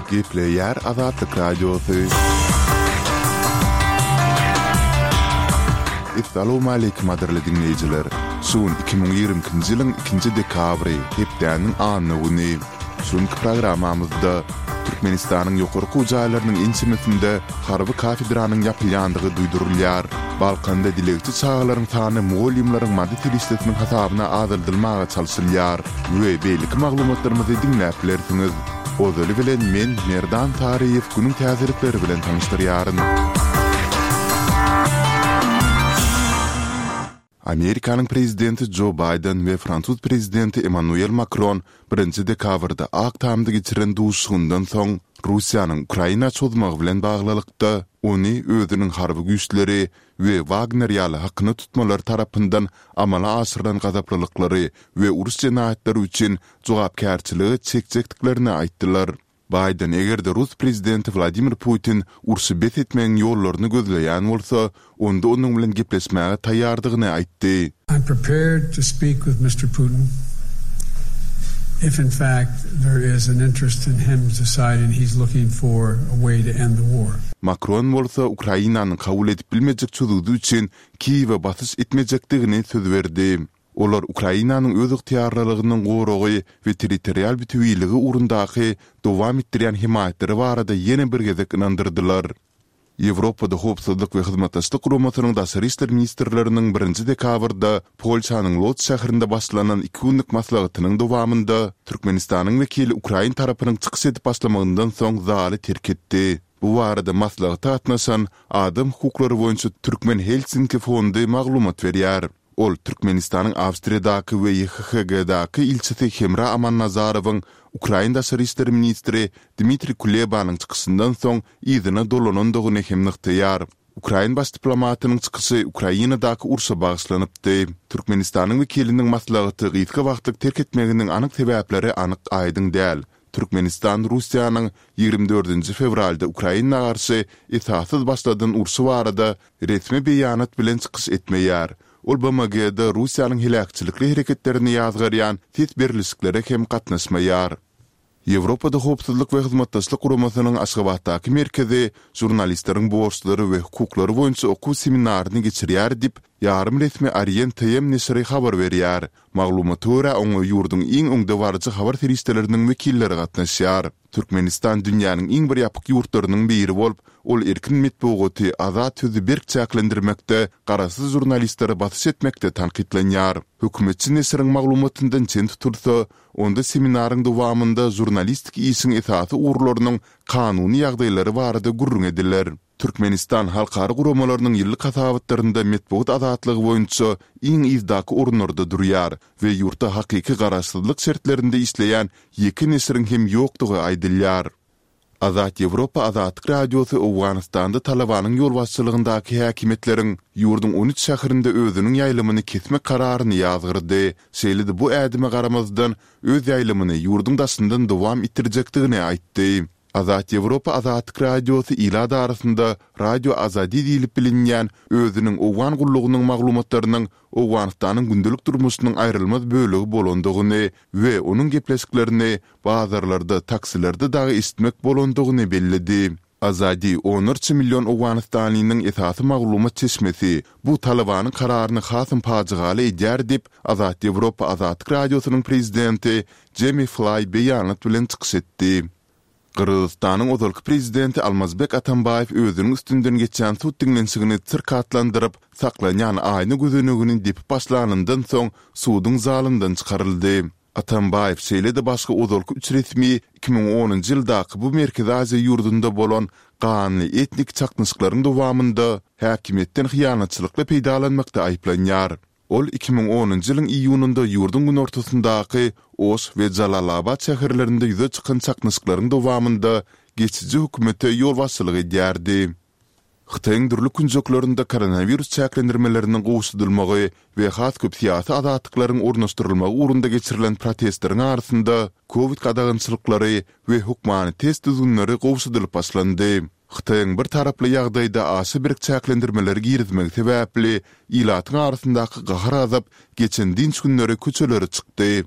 Gepleýär Azatlyk Radiosy. Essalawmaleýkim gadyrly diňleýjiler! Şu gün 2022-nji ýylyň ikinji dekabry, hepdäniň anna güni. Şu günki programmamyzda Türkmenistanyň ýokary okuw jaýlarynyň ençemesinde harby kafedranyň ýapylýandygy duýdurylýar. Balkanda dilegçi çagalaryň sany mugallymlaryň maddy serişdesiniň hasabyna azaldylmaga çalşylýar we beýleki maglumatlarymyzy diňläp bilersiňiz. Ozaly bilen men, Merdan Saryýew günüň täzelikleri bilen tanyşdyrýaryn. Amerikanyň prezidenti Jo Baýden we fransuz prezidenti Emmanuel Makron birinji dekabrda Ak Tamda geçiren duşuşygyndan soň, Russiýanyň Ukraina çozmagy bilen baglylykda, ony özüniň harby güýçleri we Wagner ýaly hakyna tutmalar tarapyndan amala aşyrylan gazaplylyklary we uruş jenaýatlary üçin jogapkärçilige çekjekdiklerini aýtdylar. Baýden eger-de rus prezidenti Wladimir Putin urşy bes etmegiň ýollaryny gözleýän bolsa, onda onuň bilen gepleşmäge taýýardygyny aýtdy. I'm prepared to speak with Mister Putin if in fact there is an interest in him deciding he's looking for a way to end the war. Makron bolsa Ukrainanyň kabul edip bilmejek çözgüdi üçin Kiýewe basyş etmejekdigini söz berdi. Olar Ukrainanyň özygtyýarlylygynyň goragy we territorial bütewiligi ugrundaky dowam etdirýän hemaýatlary barada ýene bir gezek ynandyrdylar. Ýewropada Howpsuzlyk we Hyzmatdaşlyk Guramasynyň daşary işler ministrleriniň birinji dekabrda Polşanyň Lodz şäherinde başlanan iki günlük maslahatynyň dowamynda Türkmenistanyň wekili ukrain tarapynyň çykyş edip başlamagyndan soň zaly terk etdi. Bu barada maslahata gatnaşan Adam hukuklary boýunça Türkmen Helsinki fondy maglumat berýär. Ol Türkmenistanyň Awstriýadaky we YHHG-daky ilçisi Hemra Amannazarowyň ukrain daşary işler ministri Dmitriý Kulebanyň çykyşyndan soň yzyna dolanandygyny hem nygtaýar. Ukrain baş diplomatynyň çykyşy Ukrainadaky urşa bagyşlanypdy. Türkmenistanyň wekiliniň maslahaty gysga wagtlyk terk etmeginiň anyk sebäpleri anyk aýdyň däl. Türkmenistan Russiýanyň 24 fewralda Ukraina garşy esassyz başladan urşy barada resmi beýanat bilen çykyş etmeýär. Ol BMG-de Russiýanyň heläkçilikli hereketlerini ýazgarýan ses berlişiklere hem gatnaşmaýar. Ýewropada Howpsuzlyk we Hyzmatdaşlyk Guramasynyň Aşgabatdaky merkezi žurnalistleriň borçlary we hukuklary boýunça okuw seminaryny geçirýär diýip, ýarym resmi Orient TM neşiri habar berýär. Maglumata görä, oňa ýurduň iň öňdebaryjy habar serişdeleriniň wekilleri gatnaşýar. Türkmenistan dünýäniň iň bir ýapyk ýurtlarynyň biri bolup, ol erkin metbugaty, azat sözi berk çäklendirmekde, garaşsyz žurnalistlere basyş etmekde tankytlanýar. Hökümetçi neşiriň maglumatyndan çen tutulsa, onda seminaryň dowamynda žurnalistik işiň esasy ugurlarynyň kanuny ýagdaýlary barada gürrüň ediler. Türkmenistan halkara guramalarynyň ýyllyk hasabatlarynda metbugat azatlygy boýunça iň yzdaky orunlarda durýar we ýurtda hakyky garaşsyzlyk şertlerinde işleýän ýeke neşiriň hem ýokdugy aýdylýar. Azat Ýewropa Azatlyk Radiosy Owganystanda Talabanyň ýolbaşçylygyndaky häkimiýetleriň ýurduň on üç şäherinde özüniň ýaýlymyny kesmek kararyny ýazgyrdy. Şeýle-de bu ädime garamazdan, öz ýaýlymyny ýurduň daşyndan dowam etdirjekdigini aýtdy. Azat Ýewropa Azatlyk Radiosy ilat arasynda Radio Azadi diýlip bilinýän özüniň owgan gullugynyň maglumatlarynyň Owganystanyň gündelik durmuşynyň aýrylmaz bölegi bolandygyny we onuň gepleşiklerini bazarlarda, taksilerde dagy eşitmek bolandygyny belledi. Azadi onlarça million owganystanlynyň esasy maglumat çeşmesi, bu Talybanyň kararyny hasam pajygaly edýär diýip, Azat Ýewropa Azatlyk Radiosynyň prezidenti Jemi Flaý beýanat bilen çykyş etdi. Gyrgyzystanyň ozalky prezidenti Almazbek Atambaýew özüniň üstünden geçýän sud diňlenişigini sirk atlandyryp, saklanýan aýna gözenegini depip başlanyndan soň suduň zalyndan çykaryldy. Atambaýew şeýle-de başga ozalky üç resmi 2010-njy ýyldaky bu Merkezi Aziýa ýurdunda bolan ganly etnik çaknyşyklaryň dowamynda häkimiýetden hyýanatçylykly peýdalanmakda aýyplanýar. Ol 2010-njy ýylyň iýunynda ýurduň günortasyndaky Oş we Jalalabat şäherlerinde ýüze çykan çaknyşyklaryň dowamynda geçiji hökümete ýolbaşçylyk edýärdi. Hytaýyň dürli künjeklerinde koronawirus çäklendirmeleriniň gowşadylmagy we has köp syýasy azatlyklaryň ornaşdyrylmagy ugrunda geçirilen protestleriň arasynda kowid gadagançylyklary we hökmany test düzgünleri gowşadylyp başlandy. Hytaýyň bir taraply ýagdaýda aşa berk çäklendirmeleri girizmegi sebäpli ilatyň arasyndaky gahar-gazap geçen dynç günleri köçelere çykdy.